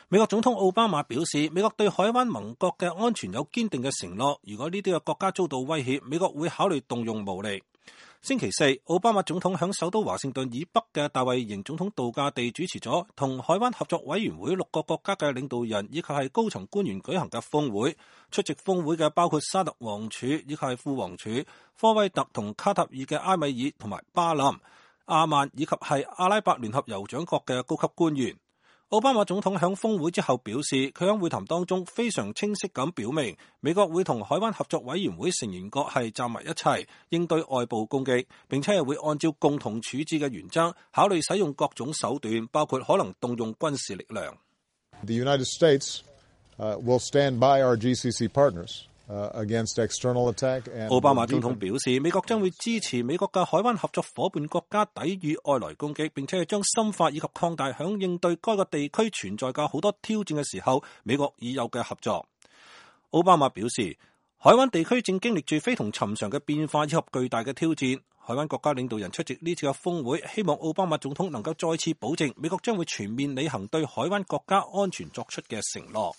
美國總統奧巴馬表示，美國對海灣盟國嘅安全有堅定嘅承諾，如果呢啲嘅國家遭到威脅，美國會考慮動用武力。星期四，奧巴馬總統響首都華盛頓以北嘅大衛營總統度假地主持咗同海灣合作委員會6個國家嘅領導人以及係高層官員舉行嘅峰會。出席峰會嘅包括沙特王儲以及係副王儲、科威特同卡塔爾嘅埃米爾同埋巴林、阿曼以及係阿拉伯聯合酋長國嘅高級官員。奧巴馬總統響峰會之後表示，佢喺會談當中非常清晰咁表明，美國會同海灣合作委員會成員國係站埋一齊，應對外部攻擊，並且係會按照共同處置嘅原則，考慮使用各種手段，包括可能動用軍事力量。The United States will stand by our GCC partners against external attack. 奧巴馬總統表示，美國將會支持美國嘅海灣合作夥伴國家抵禦外來攻擊，並且係將深化以及擴大響應對該個地區存在嘅好多挑戰嘅時候，美國已有嘅合作。奧巴馬表示，海灣地區正經歷住非同尋常嘅變化以及巨大嘅挑戰。海灣國家領導人出席呢次嘅峰會，希望奧巴馬總統能夠再次保證，美國將會全面履行對海灣國家安全作出嘅承諾。